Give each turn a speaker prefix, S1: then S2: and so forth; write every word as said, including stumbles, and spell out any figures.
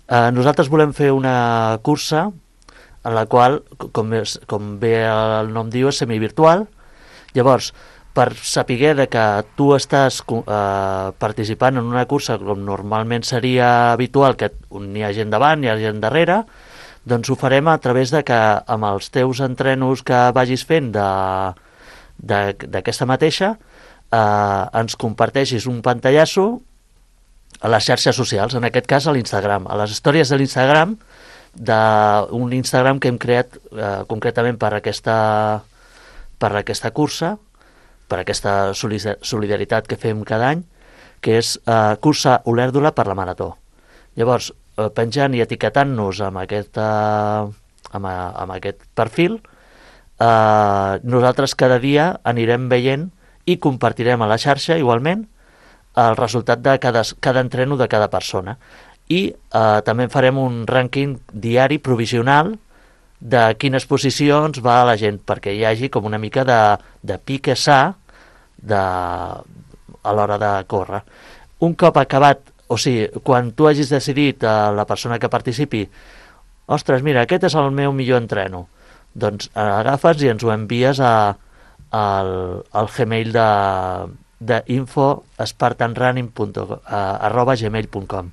S1: Eh, nosaltres volem fer una cursa en la qual, com, és, com bé el nom diu, és semivirtual. Llavors, per saber de que tu estàs eh, participant en una cursa com normalment seria habitual, que hi ha gent davant, hi ha gent darrere, doncs ho farem a través de que amb els teus entrenos que vagis fent d'aquesta mateixa eh, ens comparteixis un pantallasso a les xarxes socials, en aquest cas a l'Instagram, a les històries de l'Instagram, d'un Instagram que hem creat eh, concretament per aquesta, per aquesta cursa, per aquesta solidaritat que fem cada any, que és eh, cursa Olèrdola per la Marató. Llavors, eh, penjant i etiquetant-nos amb, aquesta, amb, amb aquest perfil, eh, nosaltres cada dia anirem veient i compartirem a la xarxa igualment el resultat de cada, cada entreno de cada persona. I eh, també farem un rànquing diari provisional de quines posicions va la gent, perquè hi hagi com una mica de, de pique sa de, a l'hora de córrer. Un cop acabat, o sigui, quan tu hagis decidit a la persona que participi, ostres, mira, aquest és el meu millor entreno, doncs agafes i ens ho envies a, al, al Gmail de, de info spartanrunning arroba gmail punt com.